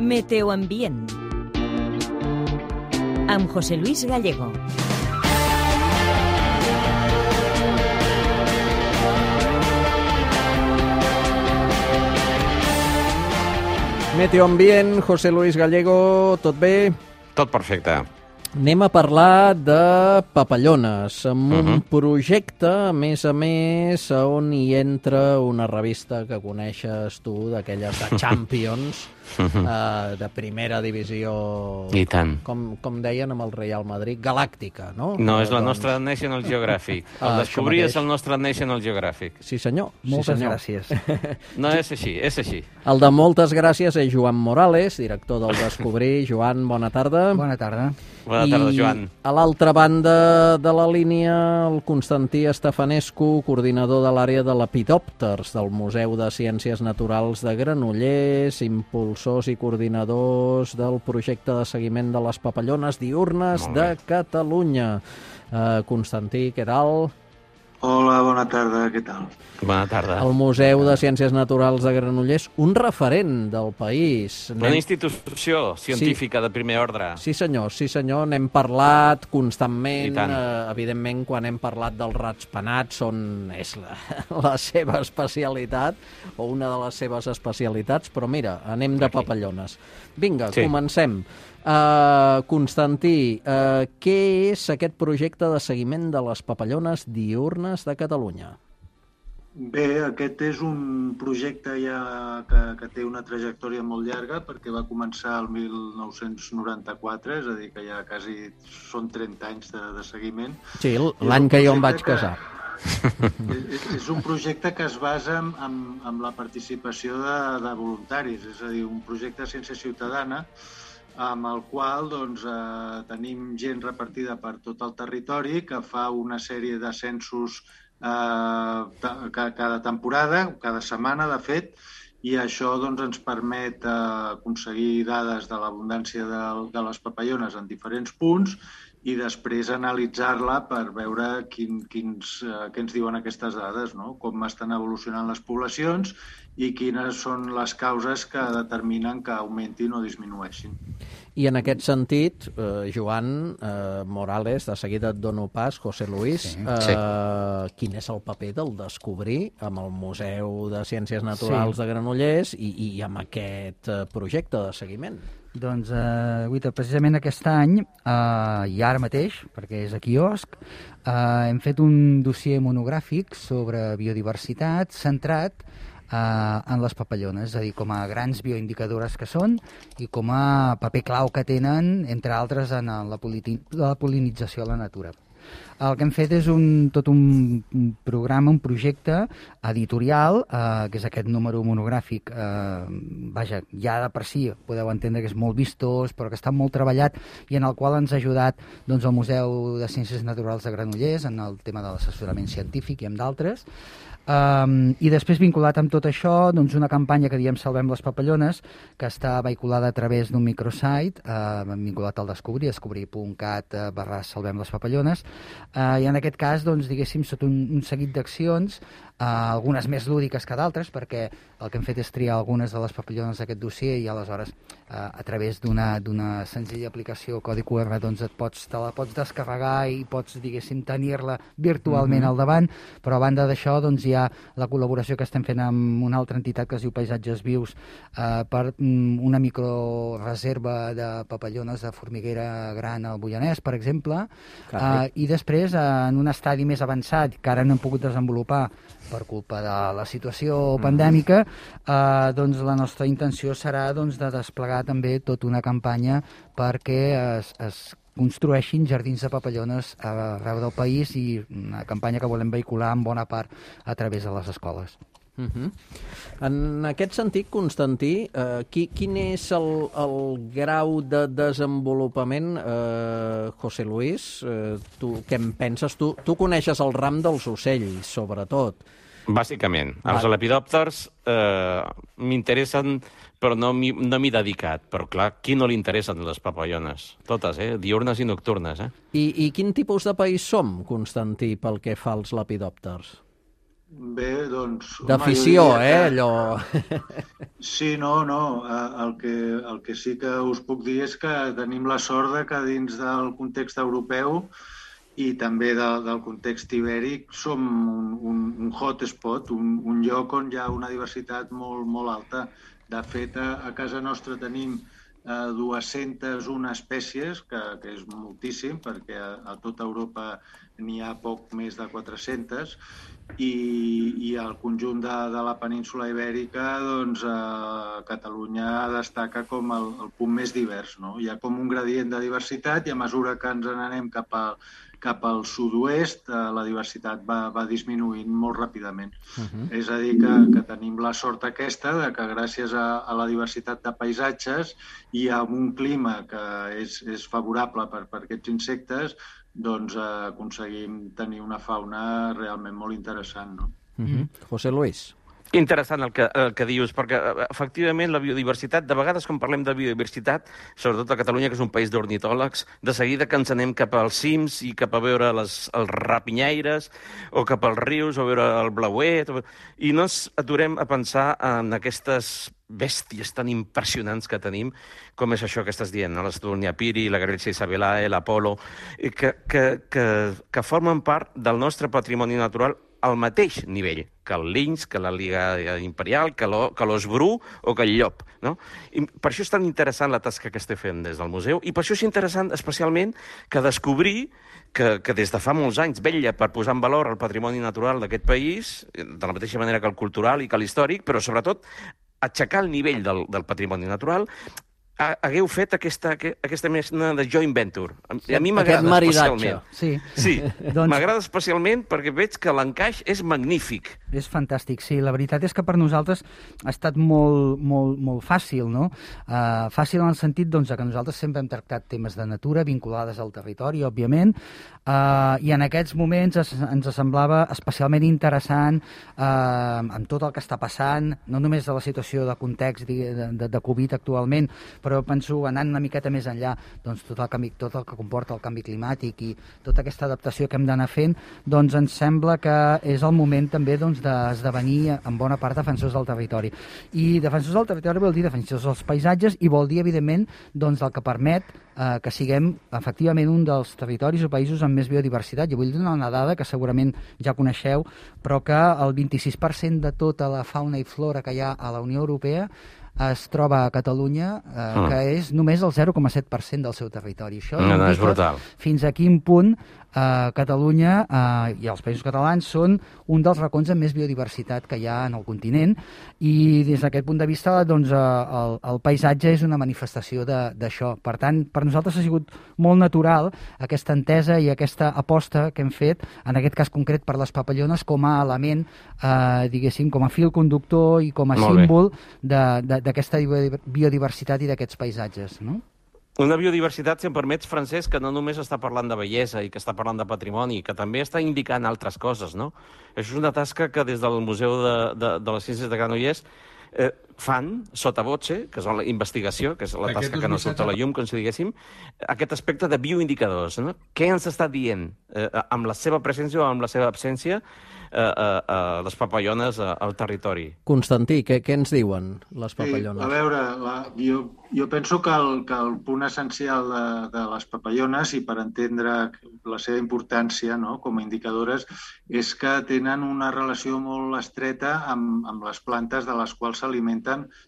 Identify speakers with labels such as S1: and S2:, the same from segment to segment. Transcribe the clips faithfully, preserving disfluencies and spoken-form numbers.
S1: Meteoambient amb José Luis Gallego.
S2: Meteoambient, José Luis Gallego, tot bé?
S3: Tot perfecte.
S2: Anem a parlar de papallones, amb un uh-huh. projecte, a més a més, on hi entra una revista que coneixes tu, d'aquelles de Champions, uh-huh. uh, de primera divisió...
S3: I tant.
S2: Com, com deien amb el Real Madrid, galàctica, no?
S3: No, és la
S2: doncs...
S3: nostra National Geographic. El
S2: ah,
S3: descobrir és el nostre National Geographic.
S2: Sí, senyor.
S4: Moltes
S2: sí, senyor.
S4: gràcies.
S3: No, és així, és així.
S2: El de moltes gràcies és Joan Morales, director del Descobrir. Joan, bona tarda.
S4: Bona tarda.
S3: Bona tarda, Joan.
S2: I a l'altra banda de la línia, el Constantí Estefanescu, coordinador de l'àrea de Lepidòpters del Museu de Ciències Naturals de Granollers, impulsors i coordinadors del projecte de seguiment de les papallones diürnes de Catalunya. Uh, Constantí, què tal?
S5: Hola, bona tarda, què tal?
S3: Bona tarda.
S2: El Museu de Ciències Naturals de Granollers, un referent del país.
S3: Una Anem... institució científica sí. de primer ordre.
S2: Sí, senyor, sí, senyor. N'hem parlat constantment. Eh, evidentment, quan hem parlat dels ratpenats, on és la, la seva especialitat, o una de les seves especialitats, però mira, anem de papallones. Vinga, sí. comencem. Uh, Constantí, uh, què és aquest projecte de seguiment de les papallones diürnes de Catalunya?
S5: Bé, aquest és un projecte ja que, que té una trajectòria molt llarga perquè va començar el mil nou-cents noranta-quatre, és a dir, que ja quasi són trenta anys de, de seguiment.
S2: Sí, l'any que jo em vaig casar.
S5: Que, és, és un projecte que es basa en, en, en la participació de, de voluntaris, és a dir, un projecte de ciència ciutadana amb el qual doncs, eh, tenim gent repartida per tot el territori que fa una sèrie de censos eh, cada temporada, cada setmana, de fet, i això doncs, ens permet eh, aconseguir dades de l'abundància de, de les papallones en diferents punts i després analitzar-la per veure quin, quins, eh, què ens diuen aquestes dades, no? Com estan evolucionant les poblacions i quines són les causes que determinen que augmentin o disminueixin.
S2: I en aquest sentit, eh, Joan eh, Morales, de seguida et dono pas, José Luis, sí. Eh, sí. quin és el paper del Descobrir amb el Museu de Ciències Naturals sí. de Granollers i, i amb aquest projecte de seguiment?
S4: Doncs, eh, Guita, precisament aquest any, eh, i ara mateix, perquè és a quiosc, eh, hem fet un dossier monogràfic sobre biodiversitat centrat eh, en les papallones, és a dir, com a grans bioindicadores que són i com a paper clau que tenen, entre altres, en la, la polinització a la natura. El que hem fet és un, tot un programa, un projecte editorial, eh, que és aquest número monogràfic, eh, vaja, ja de per si podeu entendre que és molt vistós, però que està molt treballat i en el qual ens ha ajudat doncs, el Museu de Ciències Naturals de Granollers en el tema de l'assessorament científic i amb d'altres. Um, I després, vinculat amb tot això, doncs una campanya que diem Salvem les papallones, que està vehiculada a través d'un microsite, uh, vinculat al Descobrir, descobrir punt cat uh, barra Salvem les papallones, uh, i en aquest cas, doncs, diguéssim, sota un, un seguit d'accions, uh, algunes més lúdiques que d'altres, perquè el que hem fet és triar algunes de les papallones d'aquest dossier i aleshores, uh, a través d'una d'una senzilla aplicació codi Q R, doncs et pots, te la pots descarregar i pots, diguéssim, tenir-la virtualment mm-hmm. al davant, però a banda d'això, doncs, hi ha la col·laboració que estem fent amb una altra entitat que es diu Paisatges Vius eh, per mm, una microreserva de papallones de formiguera gran al Boianès, per exemple, eh, i després, eh, en un estadi més avançat, que ara no hem pogut desenvolupar per culpa de la situació mm. pandèmica, eh, doncs la nostra intenció serà doncs, de desplegar també tota una campanya perquè es, es construeixin jardins de papallones arreu del país i una campanya que volem vehicular en bona part a través de les escoles.
S2: Uh-huh. En aquest sentit, Constantí, eh, qui, quin és el, el grau de desenvolupament, eh, José Luis? Eh, tu, què en penses? Tu, tu coneixes el ram dels ocells, sobretot.
S3: Bàsicament. Els Va. lepidòpters eh, m'interessen, però no m'hi no m'hi he dedicat. Però, clar, qui no li interessen les papallones? Totes, eh? Diürnes i nocturnes, eh?
S2: I, I quin tipus de país som, Constantí, pel que fa als lepidòpters?
S5: Bé, doncs...
S2: D'afició, eh, allò...
S5: Sí, no, no. El que, el que sí que us puc dir és que tenim la sort de que dins del context europeu i també de, del context ibèric som un, un, un hotspot, un, un lloc on hi ha una diversitat molt, molt alta. De fet, a, a casa nostra tenim eh, dues-centes una espècies, que, que és moltíssim, perquè a, a tota Europa n'hi ha poc més de quatre-centes, i, i al conjunt de, de la península ibèrica, doncs, eh, Catalunya destaca com el, el punt més divers, no? Hi ha com un gradient de diversitat i a mesura que ens n'anem cap a cap al sud-oest, eh, la diversitat va, va disminuint molt ràpidament. Uh-huh. És a dir, que, que tenim la sort aquesta de que gràcies a, a la diversitat de paisatges i a un clima que és, és favorable per, per aquests insectes, doncs eh, aconseguim tenir una fauna realment molt interessant, no?
S2: Uh-huh. José Luis.
S3: Interessant el que, el que dius, perquè efectivament la biodiversitat, de vegades quan parlem de biodiversitat, sobretot a Catalunya, que és un país d'ornitòlegs, de seguida que ens anem cap als cims i cap a veure les, els rapinyaires, o cap als rius, o veure el blauet, o... i no ens aturem a pensar en aquestes bèsties tan impressionants que tenim, com és això que estàs dient, no? L'Estúnia Piri, la Grècia Isabellae, l'Apolo, que, que, que, que formen part del nostre patrimoni natural al mateix nivell que el linx, que la Liga Imperial, que l'os bru o que el llop. No? I per això és tan interessant la tasca que estem fent des del museu i per això és interessant especialment que descobrir que, que des de fa molts anys vetlla per posar en valor el patrimoni natural d'aquest país, de la mateixa manera que el cultural i que l'històric, però sobretot aixecar el nivell del, del patrimoni natural. Hagueu fet aquesta, aquesta mena de joint venture. A mi m'agrada especialment.
S4: Sí,
S3: sí doncs... m'agrada especialment perquè veig que l'encaix és magnífic.
S4: És fantàstic, sí. La veritat és que per nosaltres ha estat molt, molt, molt fàcil, no? Uh, fàcil en el sentit doncs, que nosaltres sempre hem tractat temes de natura vinculades al territori, òbviament, uh, i en aquests moments es, ens semblava especialment interessant uh, amb tot el que està passant, no només de la situació de context de, de, de Covid actualment, però penso, anant una miqueta més enllà, doncs tot el, canvi, tot el que comporta el canvi climàtic i tota aquesta adaptació que hem d'anar fent, doncs ens sembla que és el moment també doncs, d'esdevenir en bona part defensors del territori. I defensors del territori vol dir defensors dels paisatges i vol dir, evidentment, doncs, el que permet eh, que siguem efectivament un dels territoris o països amb més biodiversitat. Jo vull donar una dada que segurament ja coneixeu, però que el vint-i-sis per cent de tota la fauna i flora que hi ha a la Unió Europea es troba a Catalunya, eh, mm. que és només el zero coma set per cent del seu territori. Això
S3: no, no, és brutal.
S4: Fins a quin punt eh, Catalunya eh, i els països catalans són un dels racons amb més biodiversitat que hi ha en el continent, i des d'aquest punt de vista doncs, eh, el, el paisatge és una manifestació d'això. Per tant, per nosaltres ha sigut molt natural aquesta entesa i aquesta aposta que hem fet, en aquest cas concret per les papallones, com a element, eh, diguéssim, com a fil conductor i com a molt símbol de, de d'aquesta biodiversitat i d'aquests paisatges, no?
S3: Una biodiversitat, si em permets, Francesc, que no només està parlant de bellesa i que està parlant de patrimoni, que també està indicant altres coses, no? Això és una tasca que des del Museu de, de, de les Ciències de Granollers eh, fan, sota voce, que és la investigació, que és la tasca que no surt a la llum, com si diguéssim, aquest aspecte de bioindicadors, no? Què ens està dient eh, amb la seva presència o amb la seva absència eh, eh, les papallones eh, al territori?
S2: Constantí, què, què ens diuen les papallones?
S5: Sí, a veure, la, jo, jo penso que el, que el punt essencial de, de les papallones, i per entendre la seva importància, no, com a indicadores, és que tenen una relació molt estreta amb, amb les plantes de les quals s'alimenten,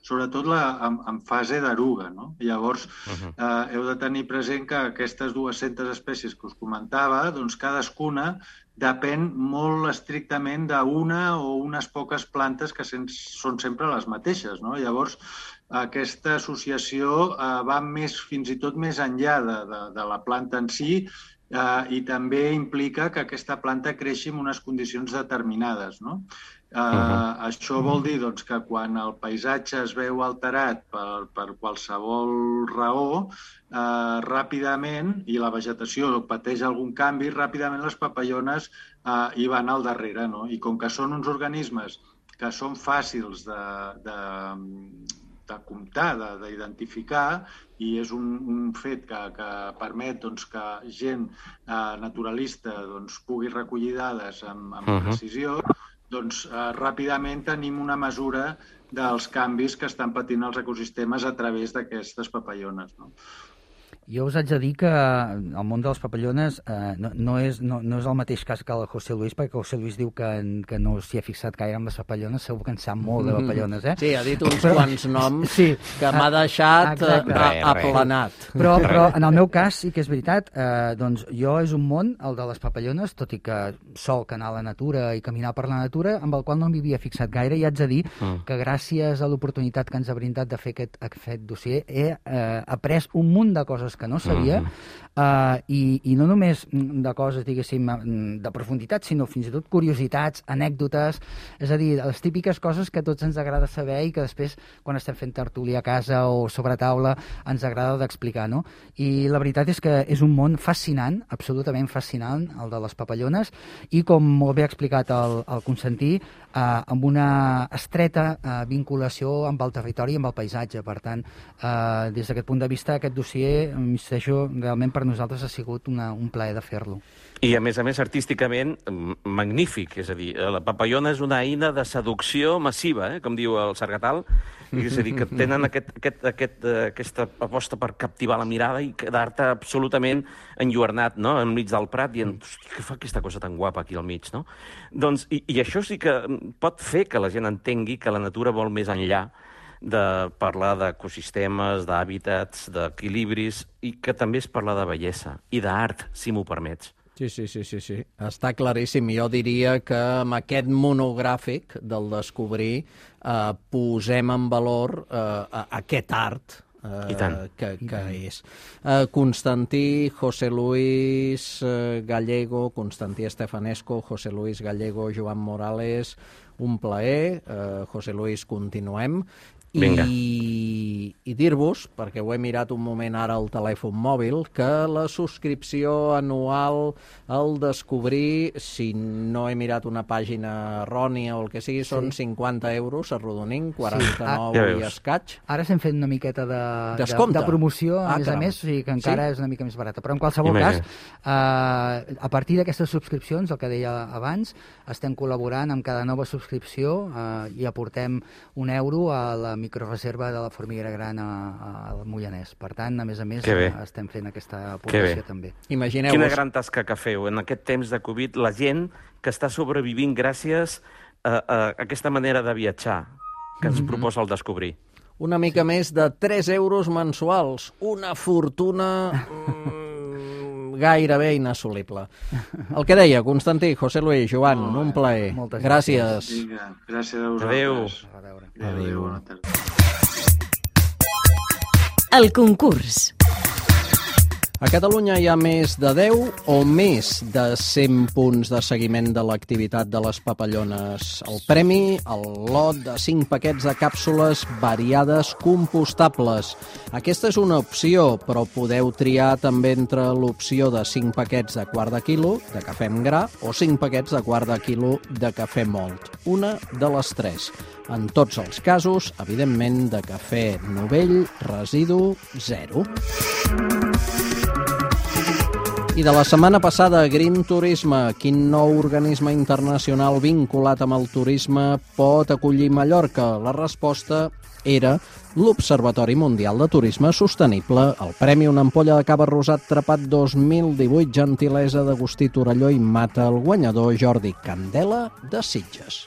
S5: sobretot la, en, en fase d'eruga, no? Llavors, uh-huh. eh, heu de tenir present que aquestes dues-centes espècies que us comentava, doncs cadascuna depèn molt estrictament d'una o unes poques plantes que sen, són sempre les mateixes, no? Llavors, aquesta associació eh, va més, fins i tot més enllà de, de, de la planta en si, eh, i també implica que aquesta planta creixi en unes condicions determinades, no? Uh, uh-huh. Això vol dir doncs, que quan el paisatge es veu alterat per, per qualsevol raó, uh, ràpidament, i la vegetació pateix algun canvi, ràpidament les papallones uh, hi van al darrere, no? I com que són uns organismes que són fàcils de, de, de comptar, d'identificar, i és un, un fet que, que permet doncs, que gent uh, naturalista doncs, pugui recollir dades amb, amb uh-huh. precisió, doncs eh, ràpidament tenim una mesura dels canvis que estan patint els ecosistemes a través d'aquestes papallones, no?
S4: Jo us haig de dir que el món de les papallones eh, no, no, és, no, no és el mateix cas que el José Luis, perquè el José Luis diu que, que no s'hi ha fixat gaire amb les papallones, segur que en sap molt de papallones, eh?
S2: Sí, ha dit uns però, quants noms sí, que m'ha deixat
S4: exacte.
S2: aplanat.
S4: Però, però en el meu cas sí que és veritat, eh, doncs jo és un món, el de les papallones, tot i que sol anar a la natura i caminar per la natura, amb el qual no m'hi havia fixat gaire, i haig de dir mm. que gràcies a l'oportunitat que ens ha brindat de fer aquest, aquest dossier he eh, après un munt de coses que no sabia, mm-hmm. uh, i, i no només de coses, diguéssim, de profunditat, sinó fins i tot curiositats, anècdotes, és a dir, les típiques coses que a tots ens agrada saber i que després, quan estem fent tertúlia a casa o sobre taula, ens agrada d'explicar, no? I la veritat és que és un món fascinant, absolutament fascinant, el de les papallones, i com molt bé ha explicat el, el Constantí, uh, amb una estreta uh, vinculació amb el territori i amb el paisatge. Per tant, uh, des d'aquest punt de vista, aquest dossier, insisteixo, realment per nosaltres ha sigut una, un plaer de fer-lo.
S3: I, a més a més, artísticament, magnífic. És a dir, la papallona és una eina de seducció massiva, eh? Com diu el Sargatal. És a dir, que tenen aquest, aquest, aquest, aquesta aposta per captivar la mirada i quedar-te absolutament enlluernat, no?, enmig del prat, dient, hosti, què fa aquesta cosa tan guapa aquí al mig, no? Doncs, i, i això sí que pot fer que la gent entengui que la natura vol més enllà de parlar d'ecosistemes, d'hàbitats, d'equilibris, i que també es parla de bellesa i d'art, si m'ho permets.
S2: Sí, sí, sí, sí, sí. Està claríssim. Jo diria que amb aquest monogràfic del descobrir eh, posem en valor eh, aquest art eh, que, que és. Eh, Constantí, José Luis eh, Gallego, Constantí Estefanesco, José Luis Gallego, Joan Morales, un plaer. Eh, José Luis, continuem. I, i dir-vos, perquè ho he mirat un moment ara al telèfon mòbil, que la subscripció anual al descobrir, si no he mirat una pàgina errònia o el que sigui, són sí. cinquanta euros arrodonint, quaranta-nou sí. ah, i escaig.
S4: Ara s'hem fet una miqueta de, de, de promoció, a ah, més caram. a més, o sigui que encara sí? és una mica més barata. Però en qualsevol Imagina. cas, eh, a partir d'aquestes subscripcions, el que deia abans, estem col·laborant amb cada nova subscripció eh, i aportem un euro a la microreserva de la formiguera gran al Moianès. Per tant, a més a més, estem fent aquesta aportació també.
S3: Imagineu-vos... Quina gran tasca que feu en aquest temps de Covid, la gent que està sobrevivint gràcies a, a aquesta manera de viatjar que ens mm-hmm. proposa el descobrir.
S2: Una mica més de tres euros mensuals. Una fortuna mm, gairebé inassolible. El que deia, Constantí, José Luis, Joan, oh, un plaer.
S4: Moltes
S2: gràcies.
S5: Vinga, gràcies a vosaltres.
S3: Adéu.
S5: Adéu.
S2: Adéu.
S5: Bona tarda.
S1: El concurs.
S2: A Catalunya hi ha més de deu o més de cent punts de seguiment de l'activitat de les papallones. El premi, el lot de cinc paquets de càpsules variades compostables. Aquesta és una opció, però podeu triar també entre l'opció de cinc paquets de quart de quilo de cafè amb gra o cinc paquets de quart de quilo de cafè mòlt. Una de les tres. En tots els casos, evidentment, de cafè novell, residu zero. I de la setmana passada, Green Turisme, quin nou organisme internacional vinculat amb el turisme pot acollir Mallorca? La resposta era l'Observatori Mundial de Turisme Sostenible, el Premi Una Ampolla de Cava Rosat Trepat dos mil divuit, gentilesa d'Agustí Torelló i Mata, el guanyador Jordi Candela de Sitges.